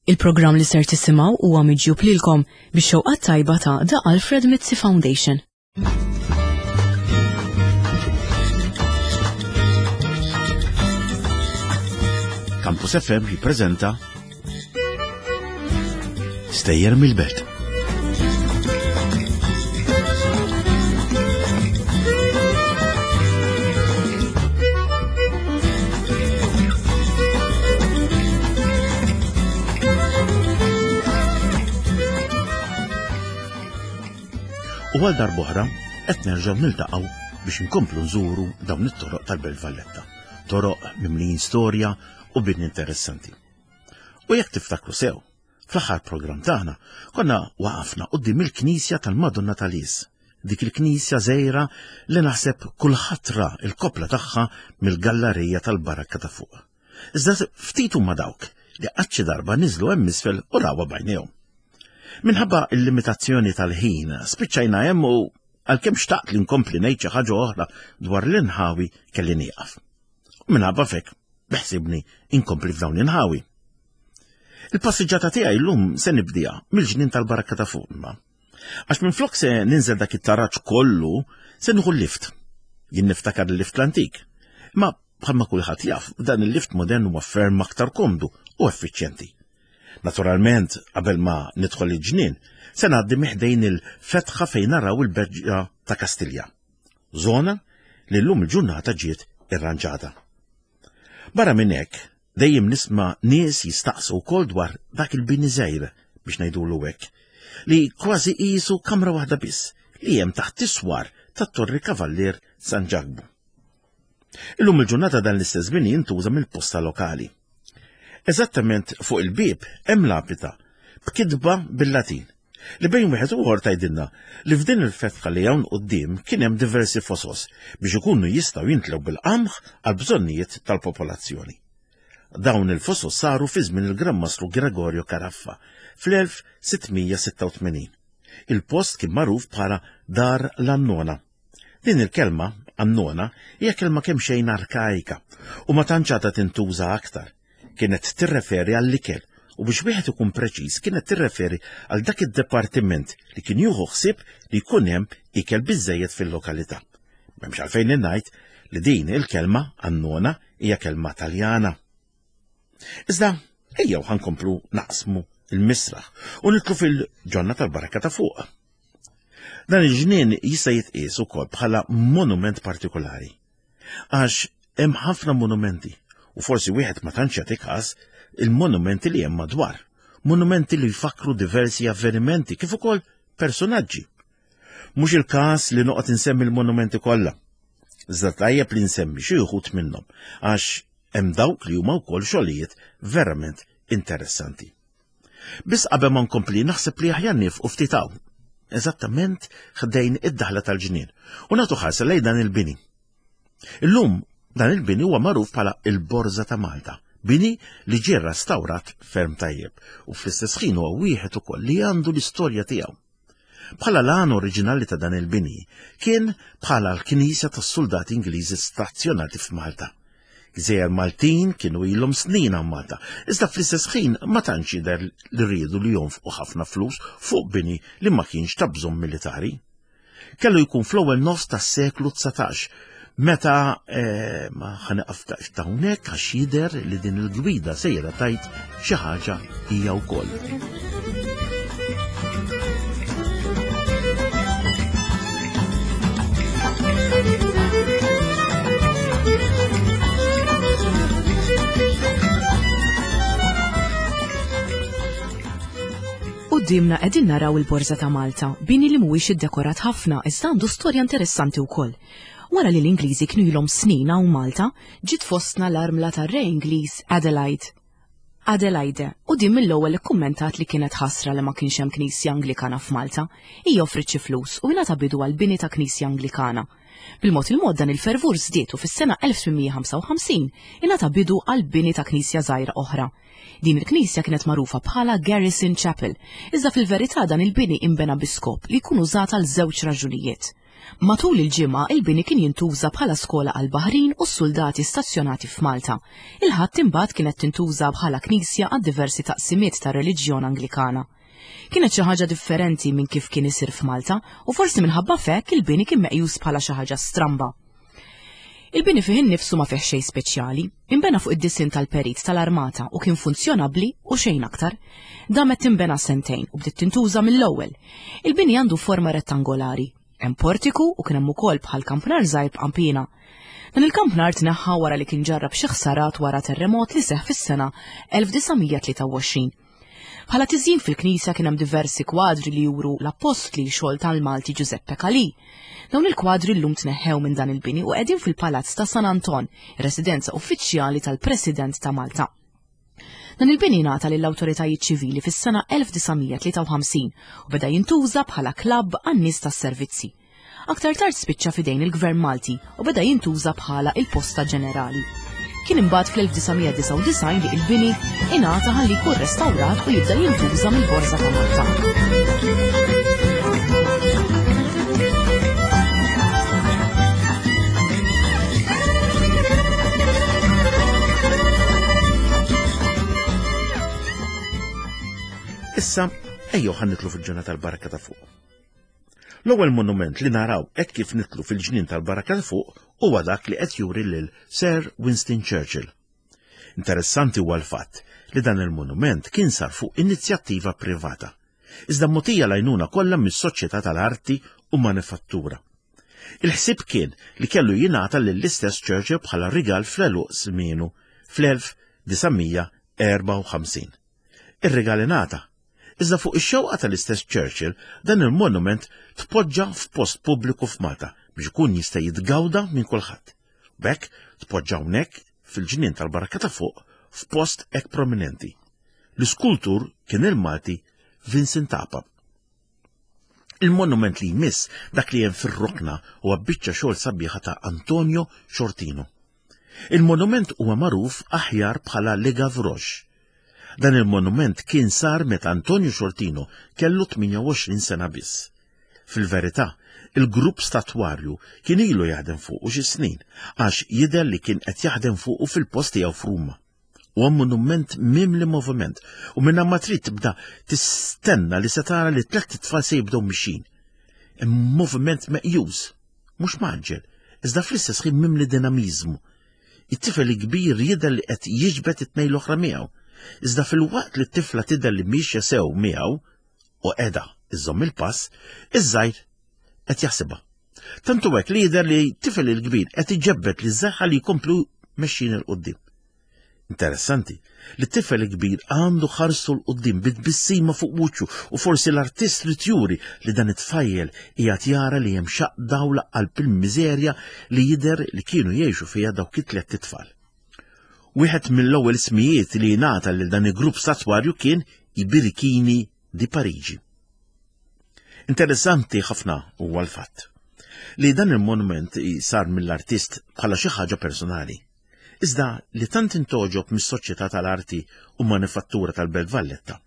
Il-programm li ser tisimgħu huwa miġjub lilkom bix-xewqat tajba ta' The Alfred Mizzi Foundation. Campus FM jippreżenta Stejjer mill-Belt. U għal darb'oħra qed nerġgħu niltaqgħu biex inkomplu nżuru dawn it-toroq tal-Belt Valletta. Toroq mimlijin storja u bini interessanti. U jekk tiftakru sew, fl-aħħar programm tagħna konna waqafna quddiem il-Knisja tal-Madonna tal-Is. Dik il-knisja żgħira li naħseb kulħadd ra l-koppla tagħha mill-gallarija tal-barakka ta' fuq. Iżda ftit huma dawk li qatt xi darba niżlu hemm isfel u rawha b'għajnejhom. Minħabba l-limitazzjoni tal-ħin, spiċċajna hemm u għalkemm xtaqt li nkompli ngħid xi ħaġa oħra dwar l-inħawi kelli nieqaf. U minħabba fek, beħsibni inkompli f'dawn l-inħawi. Il-passiġġata tiegħi llum se nibdija mill-ġnien tal-barakka ta' fuq imma. Għax minflok se ninżel dak it-taraġ kollu, se nieħu l-lift. Jien niftakar il-lift l-antik. Ma bħalma kulħadd jaf, dan il-lift modern huwa ferm aktar komdu u effiċjenti. Naturalment, qabel ma nidħol il-ġnien, se ngħaddi miħdejn il-fetħa fejn naraw il-berġa ta' Kastilja. Zona li llum il-ġurnata ġiet irranġata. Barra minn hekk, dejjem nisma' nies jistaqsu wkoll dwar dak il-bini żgħir biex ngħidulu hekk, li kważi qisu kamra waħda biss li hemm taħt is-swar tat-Torri Kavallier San Ġakbu. Illum il-ġurnata dan l-istess bini jintuża mill-posta lokali. Eżattament fuq il-bieb hemm lapita b'kitba bil-Latin li bejn wieħed u ieħor tgħidilna li f'din il-fetħa li hawn quddiem kien hemm diversi fosos biex ikunu jistgħu jintlew bil-qamħ għal bżonnijiet tal-popolazzjoni. Dawn il-fosos saru fi żmien il-Gran Mastru Gregorio Caraffa fl-1686. Il-post kien magħruf bħala Dar l-Annona. Din il-kelma, annona, hija kelma kemxejn arkaika u ma tantx għadha tintuża aktar. Kienet tirreferi għall-ikel u biex wieħed ikun preċiż kienet tirreferi għal dak id-dipartiment li kien jieħu ħsieb li jkun hemm ikel biżżejjed fil-lokalità. M'hemmx għalfejn ngħid li din il-kelma annona hija kelma Taljana. Iżda ejjew ħankomplu naqsmu il-misraħ u nitlu fil-ġonna tal-baraka ta' fuq. Dan il-ġnien jista' jitqies ukoll bħala monument partikolari. Għax hemm ħafna monumenti u forsi wieħed ma tantx jagħti każ il-monumenti li hemm madwar. Monumenti li jfakru diversi avvenimenti kif ukoll personaġġi. Mhux il-każ li noqgħod insemmi l-monumenti kollha. Iżda tajjeb li nsemmi xi wħud minnhom għax hemm dawk li huma wkoll xogħlijiet verament interessanti. Biss qabel ma nkompli naħseb li aħjar nifqu ftit hawn, eżattament ħdejn id-daħla tal-ġnien, u nagħtu ħarsa lejn dan il-bini. Illum dan il-bini huwa magħruf bħala il-Borża ta' Malta, bini li ġie rrastawrat ferm tajjeb u fl-istess ħin huwa wieħed ukoll li għandu l-istorja tiegħu. Bħala l-għan oriġinali ta' dan il-bini kien bħala l-knisja tas-suldati Ingliżi stazzjonati f'Malta. Gżejjer Maltin kienu ilhom snin hawn Malta, iżda fl-istess ħin ma tantx jidher li riedu li jonfqu ħafna flus fuq bini li ma kienx ta' bżonn militari. Kellu jkun fl-ewwel nofs tas-seklu 19 meta eh, ma ħaneqaf hawnhekk għax jidher li din il-gwida sejra tajt xi ħaġa hija wkoll. Quddiemna qegħdin naraw il-Borża ta' Malta, bini li mhuwiex iddekorat ħafna iżda għandu storja interessanti wkoll. Wara li l-Ingliżi kienu ilhom snin hawn Malta, ġiet fostna l-armla tar-re Ingliż Adelaide. Adelaide, u din mill-ewwel ikkummentat li kienet ħasra li ma kienx hemm knisja Anglikana f'Malta. Hija offriet xi flus u ingħata bidu għall-bini ta' knisja Anglikana. Bil-mod il-mod dan il-fervur żdied u fis-sena 1855 ingħata bidu għall-bini ta' knisja żgħira oħra. Din il-knisja kienet magħrufa bħala Garrison Chapel, iżda fil-verità dan il-bini inbena bi skop li jkun użat għal żewġ raġunijiet. Matul il-ġimgħa il-bini kien jintuża bħala skola għall-baħrin u s-suldati stazzjonati f'Malta. Il-Ħadd imbagħad kienet tintuża bħala knisja għad-diversi taqsimiet tar-reliġjon Anglikana. Kienet xi ħaġa differenti minn kif kien isir f'Malta u forsi minħabba f'hekk il-bini kien meqjus bħala xi ħaġa stramba. Il-bini fih innifsu ma fih xejn speċjali. Inbena fuq id-disinn tal-perit tal-armata u kien funzjonabbli u xejn aktar. Damet tinbena sentejn u bdiet tintuża mill-ewwel. Il-bini għandu forma rettangolari. Hemm portiku u kien hemm ukoll bħal kampnar żgħir b'qanpiena. Dan il-kampnar tneħħa wara li kien ġarrab xi ħsarat wara terremot li seħħ fis-sena 1923. Bħala tiżjin fil-knisja kien hemm diversi kwadri li juru l-appostli xogħol tal-Malti Giuseppe Calì. Dawn il-kwadri llum tneħħew minn dan il-bini u qegħdin fil-Palazz ta' San Anton, residenza uffiċjali tal-President ta' Malta. Dan il-bini ngħata lill-awtoritajiet ċivili fis-sena 1953 u beda jintuża bħala klabb għan-nies tas-servizzi. Aktar tard spiċċa f'idejn il-Gvern Malti u beda jintuża bħala il-Posta Ġenerali. Kien imbagħad fl-1999 li il-bini ingħata ħalli jkun restawrat u jibda jintuża mill-Borża ta' Malta. Issa, ejjew ħa nitlu fil-ġurnata tal-barka ta' fuq. L-ewwel monument li naraw hekk kif nitlu fil-ġnien tal-Barrakka ta' Fuq huwa dak li qed juri lil Sir Winston Churchill. Interessanti huwa l-fatt li dan il-monument kien sar fuq inizjattiva privata, iżda mogħtija l-għajnuna kollha mis-Soċjetà tal-Arti u Manifattura. Il-ħsieb kien li kellu jingħata lill-istess Churchill bħala rigal fl-għeluq żmienu fl-1954. Ir-rigal ingħata, Iżda fuq ix-xewqa tal-istess Churchill, dan il-monument tpoġġa f'post pubbliku f'Malta biex ikun jista' jitgawda minn kulħadd. B'hekk tpoġġa hawnhekk fil-ġnien tal-Barrakka ta' Fuq f'post hekk prominenti. L-iskultur kien il-Malti Vincent Apap. Il-monument li jmiss dak li hemm fir-rokna huwa biċċa xogħol sabiħa ta' Antonio Sciortino. Il-monument huwa magħruf aħjar bħala Le Gavroche. Dan il-monument kien sar meta Antonio Sciortino kellu 28 sena biss. Fil-verità, il-grupp statwarju kien ilu jaħdem fuqu xi snin għax jidher li kien qed jaħdem fuqu fil-post tiegħu f'Ruma. Huwa monument mimli moviment u minn ma trid tibda tistenna li se tara li tlett itfal se jibdew mixin. Moviment meqjus, mhux maġġel, iżda fl-istess ħin mimli dinamiżmu. It-tifel il-kbir jidher li qed jiġbed it-tnejn l-oħra miegħu, iżda filwaqt li t-tifla tidher li mixja sew miegħu u qiegħda iżżomm il-pass, iż-żgħir qed jaħsibha. Tant hu hekk li jidher li tifel il-kbir qed iġebbed li żaħħa li jkomplu mexjin il qudiem Interessanti li t-tifel il-kbir għandu ħarsu l qudiem bit-tbissima fuq wiċċu u forsi l-artist li juri li dan it-tfajjel qiegħed jara li hemm xaq dawla qalb il-miżerja li jidher li kienu jgħixu fiha dawk it-tlett itfal. Wieħed mill-ewwel ismijiet li jingħata lil dan il-grupp statwarju kien i Birichini di Parigi. Interessanti ħafna huwa l-fatt li dan il-monument sar mill-artist bħala xi ħaġa personali. Iżda li tant intoġob mis-Soċjetà tal-Arti u Manifattura tal-Belt Valletta.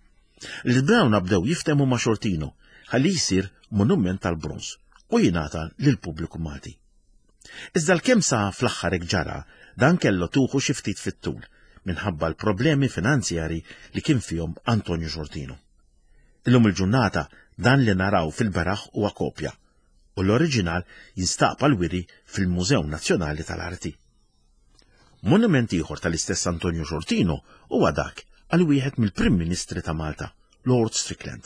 Li dawna bdew jiftehmu ma' Sciortino ħalli jsir monument tal-bronż u jingħata lill-pubbliku Malti. Iżda l-kemm sa fl-aħħar hekk ġara, dan kellu tuħu xi ftit fit-tul minħabba l-problemi finanzjari li kien fihom Antonio Sciortino. Illum il-ġurnata dan li naraw fil-beraħ huwa kopja u l-oriġinal jinstab għall-wiri fil-Mużew Nazzjonali tal-Arti. Monument ieħor tal-istess Antonio Sciortino huwa dak għal wieħed mill-Prim Ministri ta' Malta, Lord Strickland.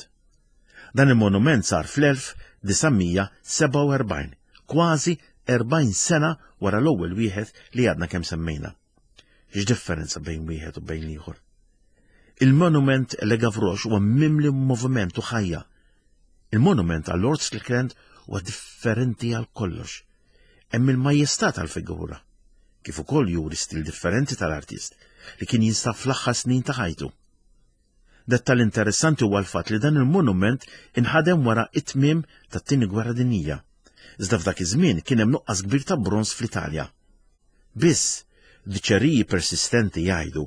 Dan il-monument sar fl-1947, kważi 40 sena wara l-ewwel wieħed li għadna kemm semmejna. X'differenza bejn wieħed u bejn l-ieħor? Il-monument Le Gavroche huwa mimli moviment u ħajja. Il-monument għal Lord Strickland huwa differenti għal kollox. Hemm il-majestà tal-figura, kif ukoll juri stil differenti tal-artist li kien jinstab fl-aħħar snin ta' ħajtu. Dettall interessanti huwa l-fatt li dan il-monument inħadem wara it-tmiem tat-Tieni Gwerra Dinjija. Iżda f'dak iż-żmien kien hemm nuqqas kbir ta' bronż fl-Italja. Biss, diċeriji persistenti jgħidu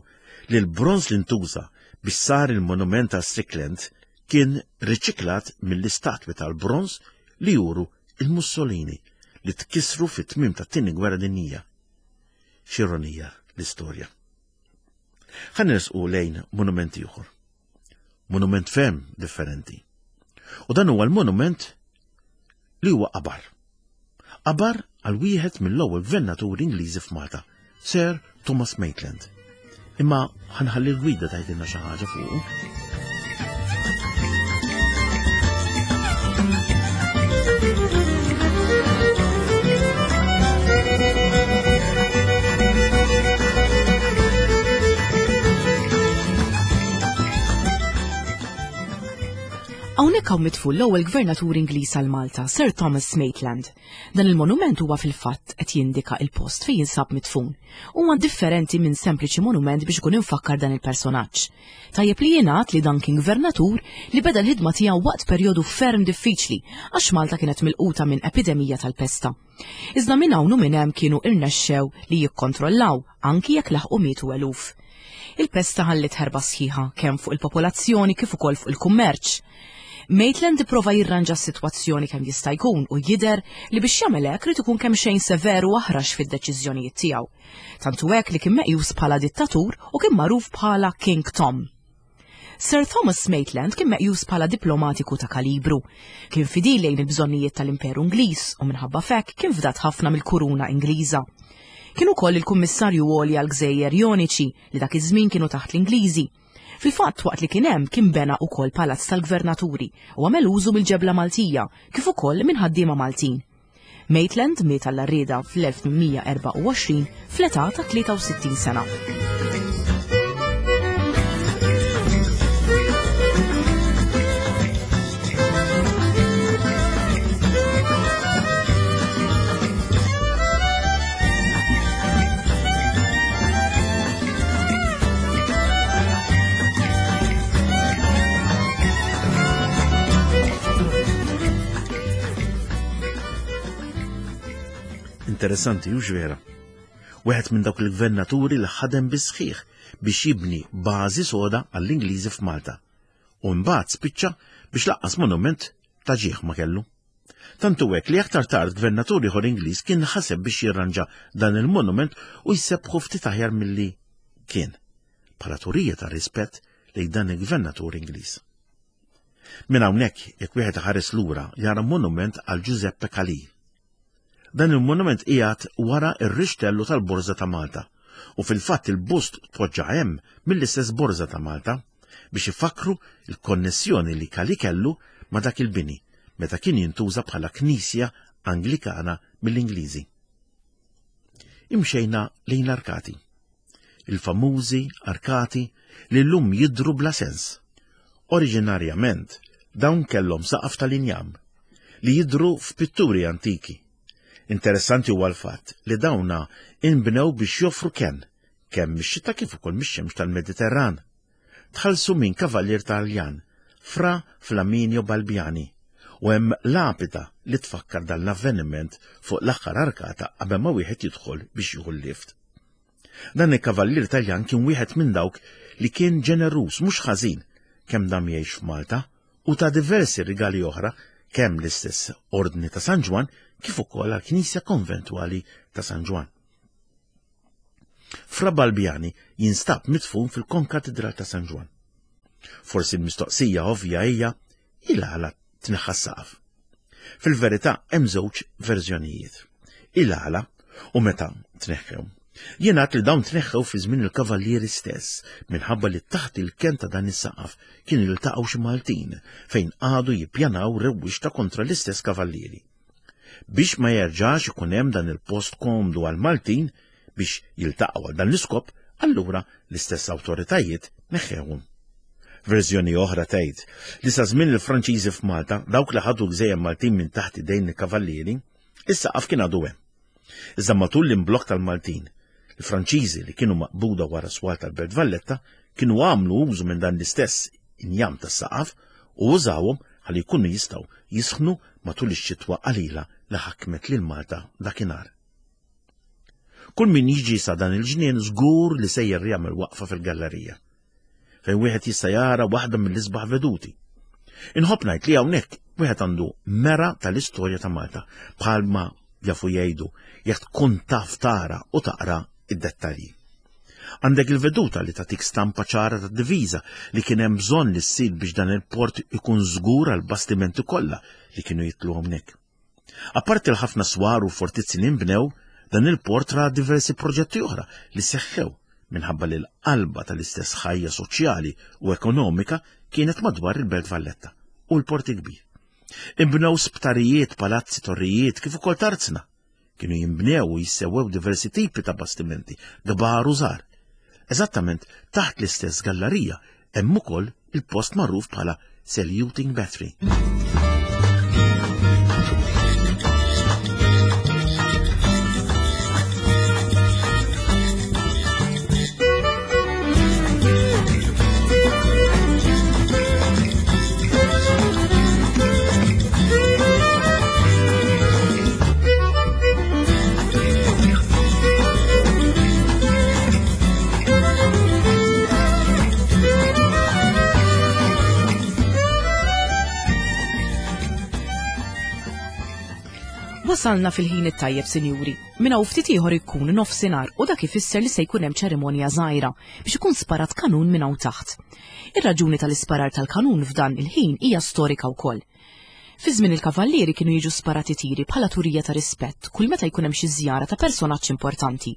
li l-bronż li ntuża biex sar il-monument għal Strickland kien riċiklat mill-istatwi tal-bronż li juru il-Mussolini li tkissru fit-tmiem tat-Tieni Gwerra Dinjija. X'ironija l-istorja. Ħa nersqu lejn monument ieħor. Monument ferm differenti. U dan huwa l-monument li huwa qabar. Qabar għal wieħed mill-ewwel gvernaturi Ingliżi f'Malta, Sir Thomas Maitland. Imma ħanħalli l-gwida tgħidilna xi ħaġa fuqu. Hawnhekk hawn mitful l-ewwel gvernatur Ingliż għal Malta, Sir Thomas Maitland. Dan il-monument huwa fil-fatt qed jindika il-post fejn jinsab mitfun. Huwa differenti minn sempliċi monument biex ikun imfakkar dan il-personaġġ. Tajjeb li jingħad li dan kien gvernatur li beda l-ħidma tiegħu waqt perjodu ferm diffiċli għax Malta kienet milquta minn epidemija tal-pesta. Iżda minn hawn u minn hemm kienu irnexxew li jikkontrollaw anki jekk laħqu mietu eluf. Il-pesta ħalliet ħerba sħiħa kemm fuq il-popolazzjoni kif ukoll fuq il-kummerċ. Maitland ipprova jirranġa s-sitwazzjoni kemm jista' jkun u jidher li biex jagħmel hekk ried ikun kemxejn sever u aħrax fid-deċiżjonijiet tiegħu. Tant hu hekk li kien meqjus bħala dittatur u kien magħruf bħala King Tom. Sir Thomas Maitland kien meqjus bħala diplomatiku ta' kalibru. Kien fidil lejn il-bżonnijiet tal-Imperu Ingliż u minħabba f'hekk kien fdat ħafna mill-Kuruna Ingliża. Kien ukoll il-Kummissarju Għoli għall-Gżejjer Joniċi li dak iż-żmien kienu taħt l-Ingliżi. Fil-fatt waqt li kien hemm kien bena ukoll palazz tal-gvernaturi u għamel użu mill-ġebla Maltija kif ukoll minn ħaddiema Maltin. Maitland miet għall-għarrieda fl-1824 fl-età ta' 63 sena. Interessanti, hux vera? Wieħed minn dawk il-gvernaturi li ħadem bis-sħiħ biex jibni bażi soda għall-Ingliżi f'Malta. U mbagħad spiċċa biex laqqas monument ta' ġieħ ma kellu. Tant hu hekk li aktar tard gvernatur ieħor Ingliż kien ħaseb biex jirranġa dan il-monument u jsebbħu ftit aħjar milli kien, bħala turija ta' rispett lejn dan il-gvernatur Ingliż. Minn hawnhekk, jekk wieħed iħares lura, jara monument għal Giuseppe Calì. Dan il-monument qiegħed wara r-rixtellu tal-Borża ta' Malta u fil-fatt il-bust tpoġġa hemm mill-istess Borża ta' Malta biex ifakkru l-konnessjoni li Calì kellu ma' dak il-bini meta kien jintuża bħala knisja Anglikana mill-Ingliżi. Imxejna lejn l-arkati. Il-famużi arkati li llum jidhru bla sens. Oriġinarjament, dawn kellhom saqaf tal-injam li jidhru f'pitturi antiki. Interessanti huwa l-fatt li dawna inbnew biex joffru kenn, kemm mix-xita kif ukoll mix-xemx tal-Mediterran. Tħallsu minn kavallier Taljan, Fra Flaminio Balbiani, u hemm lapida li tfakkar dan l-avveniment fuq l-aħħar arkata qabel ma wieħed jidħol biex jieħu l-lift. Dan il-kavallier Taljan kien wieħed minn dawk li kien ġeneruż mhux ħażin kemm dam jgħix f'Malta u ta diversi rigali oħra kemm l-istess Ordni ta' San Ġwann kif ukoll għall-Knisja Konventwali ta' San Ġwann. Fra Balbiani jinstab midfun fil-Konkatedral ta' San Ġwann. Forsi l-mistoqsija ovvja hija il-għala tneħħa s-saqaf. Fil-verità hemm żewġ verżjonijiet. Il-għala u meta tneħħew. Jingħad li dawn tneħħew fi żmien il-kavallieri stess minħabba li taħt il-ken ta' dan is-saqaf kien iltaqgħu xi Maltin fejn qagħdu jippjanaw rewwixta kontra l-istess kavallieri. Biex ma jerġax ikun hemm dan il-post komdu għall-Maltin biex jiltaqgħu għal dan l-iskop, allura l-istess awtoritajiet neħħewhom. Verżjoni oħra tgħid li sa żmien il-Franċiżi f'Malta, dawk li ħadu l-gżejjer Maltin minn taħt idejn il-kavallieri, is-saqaf kien għadu hemm. Iżda matul l-imblokk tal-Maltin, il-Franċiżi li kienu maqbuda wara swar tal-Belt Valletta kienu għamlu użu minn dan l-istess injam tas-saqaf u użawhom ħalli jkunu jistgħu jisħnu matul ix-xitwa qalila li ħakmet lil Malta dakinhar. Kull min jiġi sa dan il-ġnien żgur li sejjer jagħmel waqfa fil-gallerija fejn wieħed jista' jara waħda mill-isbaħ veduti. Inħobb ngħid li hawnhekk wieħed għandu mera tal-istorja ta' Malta bħalma jafu jgħidu jekk tkun taf tara u taqra id-dettalji. Għandek il-veduta li tagħtik stampa ċara tad-diviża li kien hemm bżonn li ssir biex dan il-port ikun żgur għal bastimenti kollha li kienu jitlu hawnhekk. Apparti l-ħafna swar u fortizzi li nbnew, dan il-port ra diversi proġetti oħra li seħħew minħabba li l-qalba tal-istess ħajja soċjali u ekonomika kienet madwar il-Belt Valletta u l-Port il-Kbir. Inbnew sptarijiet, palazzi, torrijiet, kif ukoll tarzna. Kienu jinbnew u jissewwew diversi tipi ta' bastimenti, kbar u żgħar. Eżattament taħt l-istess gallarija hemm ukoll il-post magħruf bħala Saluting Battery. Wasalna fil-ħin it-tajjeb, sinjuri. Minn hawn ftit ieħor ikun nofsinhar u dak ifisser li se jkun hemm ċerimonja żgħira biex ikun sparat kanun minn hawn taħt. Ir-raġuni tal-isparar tal-kanun f'dan il-ħin hija storika wkoll. Fi żmien il-Kavallieri kienu jiġu sparati tiri bħala turija ta' rispett kull meta jkun hemm xi żjara ta' personaġġ importanti.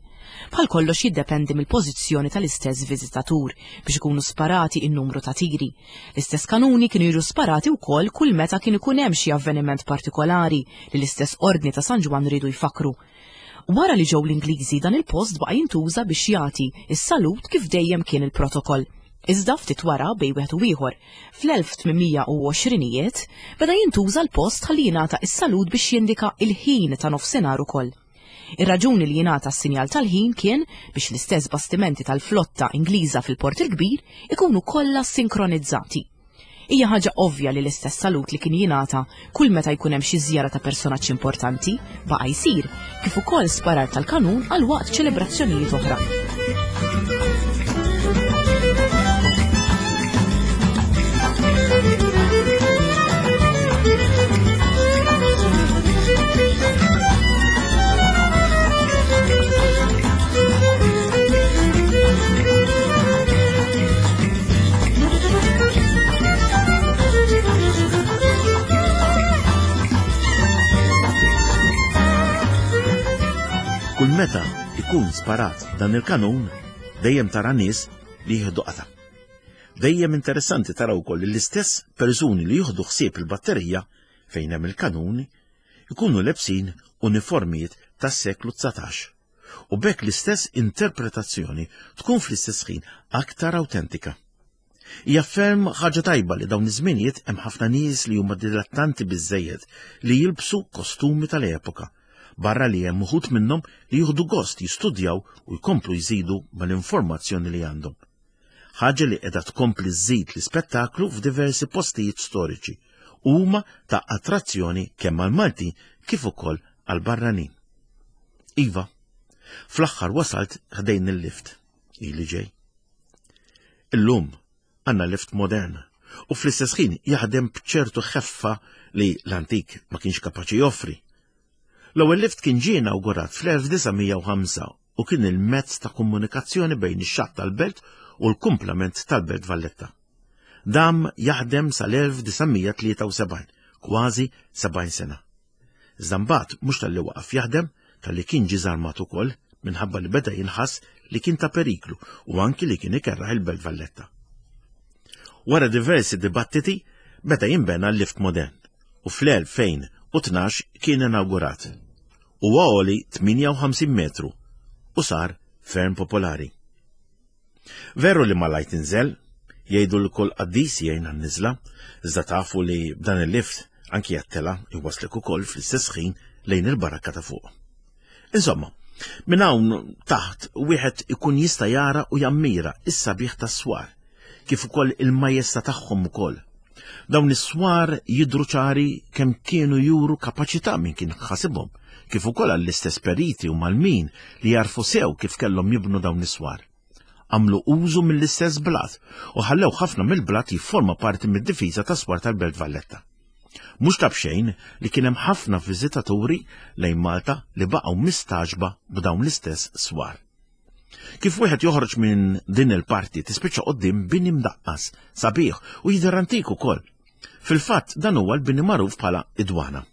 Bħal kollox jiddependi mill-pożizzjoni tal-istess viżitatur biex ikunu sparati in-numru ta' tiri. L-istess kanuni kienu jiġu sparati wkoll kull meta kien ikun hemm xi avveniment partikolari li l-istess Ordni ta' San Ġwann riedu jfakkru. Wara li ġew l-Ingliżi dan il-post baqa' jintuża biex jagħti s-salut kif dejjem kien il-protokoll. Iżda ftit wara bejn wieħed u ieħor, fl-1820ijiet, beda jintuża l-post ħalli jingħata s-salut biex jindika il-ħin ta' nofsinhar ukoll. Ir-raġuni li jingħata s-sinjal tal-ħin kien biex l-istess bastimenti tal-flotta Ingliża fil-Port il-Kbir ikunu kollha sinkronizzati. Hija ħaġa ovvja li l-istess salut li kien jingħata kull meta jkun hemm xi żjara ta' personaġġ importanti baqa' jsir, kif ukoll sparar tal-kanun għal waqt ċelebrazzjonijiet oħra. Kull meta ikun sparat dan il-kanun, dejjem tara nies li jieħdu qata. Dejjem interessanti tara wkoll li l-istess persuni li jieħdu ħsieb il-batterija fejn hemm il-kanuni ikunu lebsin uniformijiet tas-seklu 19. u b'hekk l-istess interpretazzjoni tkun fl-istess ħin aktar awtentika. Hija ferm ħaġa tajba li dawn iż-żminijiet hemm ħafna nies li huma dilettanti biżżejjed li jilbsu kostumi tal-epoka, barra li hemm uħud minnhom li jieħdu gost jistudjaw u jkomplu jżidu mal-informazzjoni li għandhom. Ħaġa li qiegħda tkompli żżid l-ispettaklu f'diversi postijiet storiċi u huma ta' attrazzjoni kemm għall-Maltin kif ukoll għall-barranin. Iva, fl-aħħar wasalt ħdejn il-lift, ili ġej. Illum għandna lift modern u fl-istess ħin jaħdem b'ċertu ħeffa li l-antik ma kienx kapaċi joffri. L-ewwel lift kien ġie inawgurat fl-1905 u kien il-mezz ta' komunikazzjoni bejn ix-xatt tal-belt u l-kumplament tal-Belt Valletta. Dam jaħdem sal-1973, kważi 70 sena. Iżda mbagħad mhux talli waqaf jaħdem, talli kien ġie żarmat ukoll minħabba li beda jinħass li kien ta' periklu u anki li kien ikerraħ il-Belt Valletta. Wara diversi dibattiti beda jinbena l-lift modern u fl-2012 kien inawgurat. Huwa għoli 58 metru u sar ferm popolari. Veru li malajr tinżel, jgħidu li kull qaddis jgħin għan-niżla, iżda tafu li b'dan il-lift anki għat-tela jwasslek ukoll fl-istess ħin lejn il-barakka ta' fuq. Insomma, minn hawn taħt wieħed ikun jista' jara u jammira is-sabiħ tas-swar, kif ukoll il-majesta tagħhom ukoll. Dawn is-swar jidhru ċari kemm kienu juru kapaċità min kien ħasibhom, kif ukoll għall-istess periti u malmin li jarfu sew kif kellhom jibnu dawn is-swar. għamlu użu mill-istess blat u ħallew ħafna mill-blat jifforma parti mid-difiża tas-swar tal-Belt Valletta. Mhux ta' b'xejn li kien hemm ħafna viżitaturi lejn Malta li baqgħu mistagħġba b'dawn l-istess swar. Kif wieħed joħroġ minn din il-parti tispiċċa quddiem bini mdaqqas, sabiħ u jidher antik ukoll. Fil-fatt dan huwa l-bini magħruf bħala id-Dwana.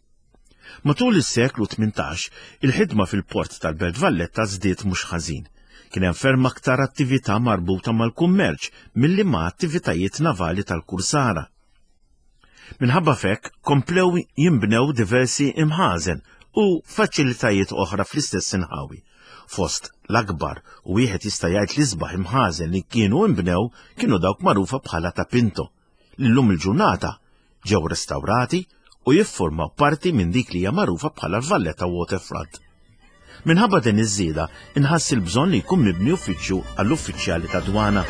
Matul is-seklu 18, il-ħidma fil-port tal-Belt Valletta żdiet mhux ħażin. Kien hemm ferm aktar attività marbuta mal-kummerċ milli ma' attivitajiet navali tal-kursara. Minħabba f'hekk komplew jinbnew diversi imħażen u faċilitajiet oħra fl-istess inħawi. Fost l-akbar u wieħed jista' jgħid l-isbaħ imħażen li kienu inbnew kienu dawk magħrufa bħala ta' Pinto, li llum il-ġurnata ġew restawrati u jiffurmaw parti minn dik li hija magħrufa bħala l-Valletta Waterfront. Minħabba din iż-żieda, inħass il-bżonn li jkun mibni uffiċċju għall-uffiċjali ta' dwana.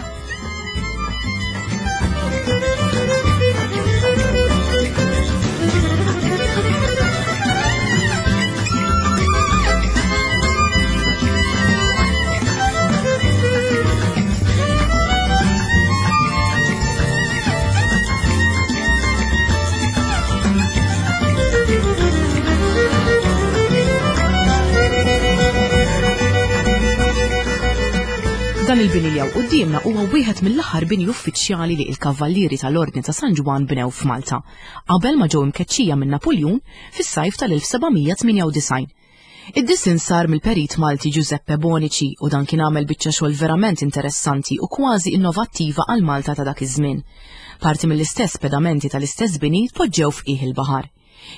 Dan il-bini li hawn quddiemna huwa wieħed mill-aħħar bini uffiċjali li l-Kavallieri tal-Ordni ta' San Ġwann bnew f'Malta, qabel ma ġew imkeċċija minn Napuljun fis-sajf tal-1798. Id-disinn sar mill-perit Malti Giuseppe Bonici u dan kien għamel biċċa xogħol verament interessanti u kważi innovattiva għal Malta ta' dak iż-żmien. Parti mill-istess pedamenti tal-istess bini tpoġġew f'qiegħ il-baħar.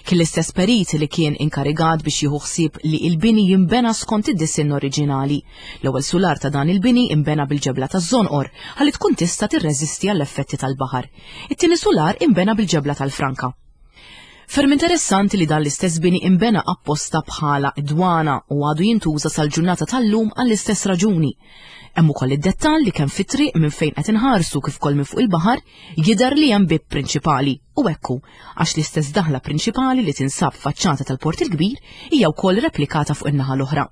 Kien l-istess perit li kien inkarigat biex jieħu ħsieb li il-bini jinbena skont id-disinn oriġinali. L-ewwel sular ta' dan il-bini inbena bil-ġebla taż-żonqor ħalli tkun tista' tirreżisti għall-effetti tal-baħar. It-tieni sular inbena bil-ġebla tal-franka. Ferm interessanti li dan l-istess bini inbena apposta bħala dwana u għadu jintuża sal-ġurnata tal-lum għall-istess raġuni. Hemm ukoll id-dettall li kemm fit-triq minn fejn qed inħarsu kif ukoll minn fuq il-baħar jidher li hemm bieb prinċipali u hekk hu għax l-istess daħla prinċipali li tinsab faċċata tal-Port il-Kbir hija wkoll replikata fuq in-naħa l-oħra.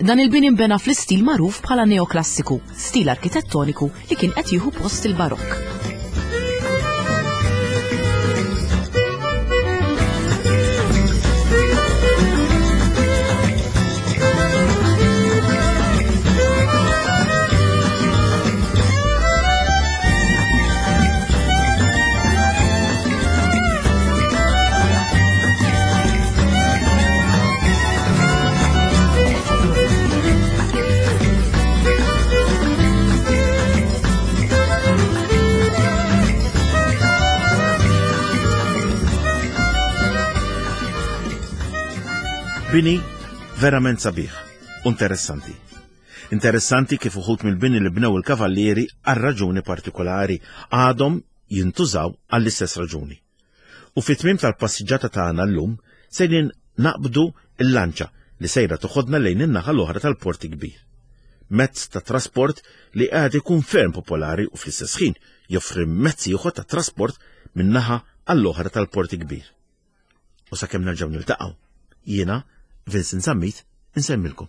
Dan il-bini nbena fl-istil magħruf bħala neoklassiku, stil arkitettoniku li kien qed jieħu post il-Barokk. Bini verament sabiħ u interessanti. Interessanti kif uħut mill-bini li bnew il-kavallieri għal raġuni partikolari għadhom jintużaw għall-istess raġuni. U fit-tmiem tal-passiġġata tagħna llum sejrin naqbdu l-lanċa li sejra toħodna lejn in-naħa l-oħra tal-Port Kbir. Mezz ta' trasport li qiegħed ikun ferm popolari u fl-istess ħin joffri mezz ieħor ta' trasport min-naħa għall-oħra tal-Port Kbir. U sakemm nerġgħu niltaqgħu, jiena Vincent Zammit insemmilkom.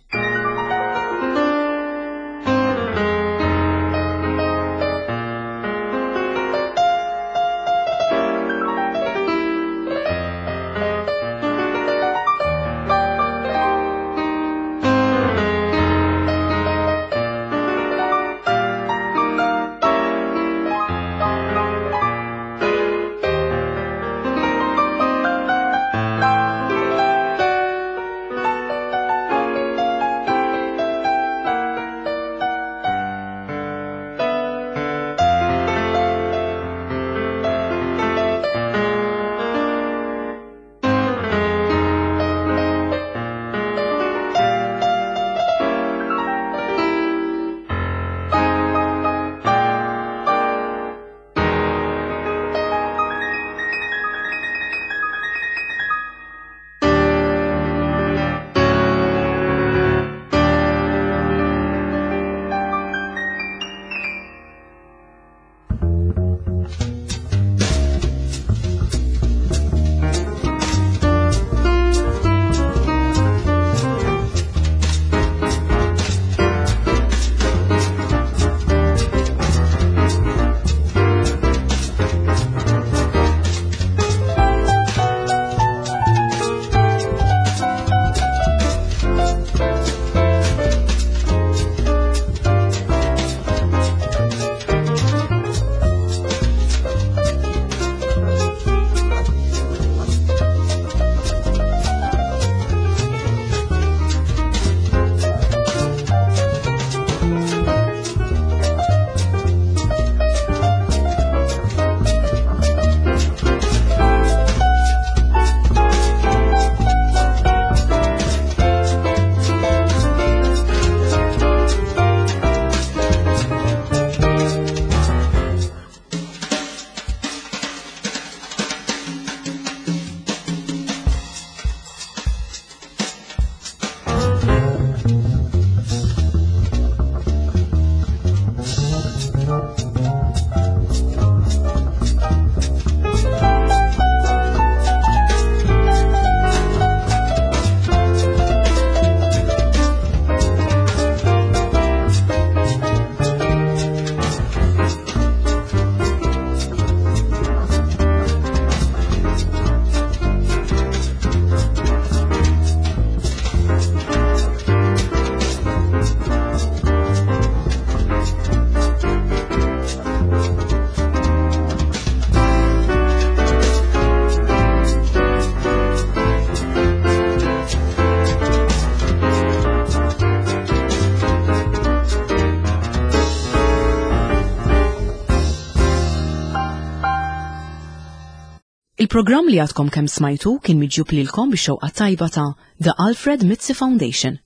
Il-programm li għadkom kemm smajtu kien miġjub lilkom bix-xewqa tajba ta' The Alfred Mizzi Foundation.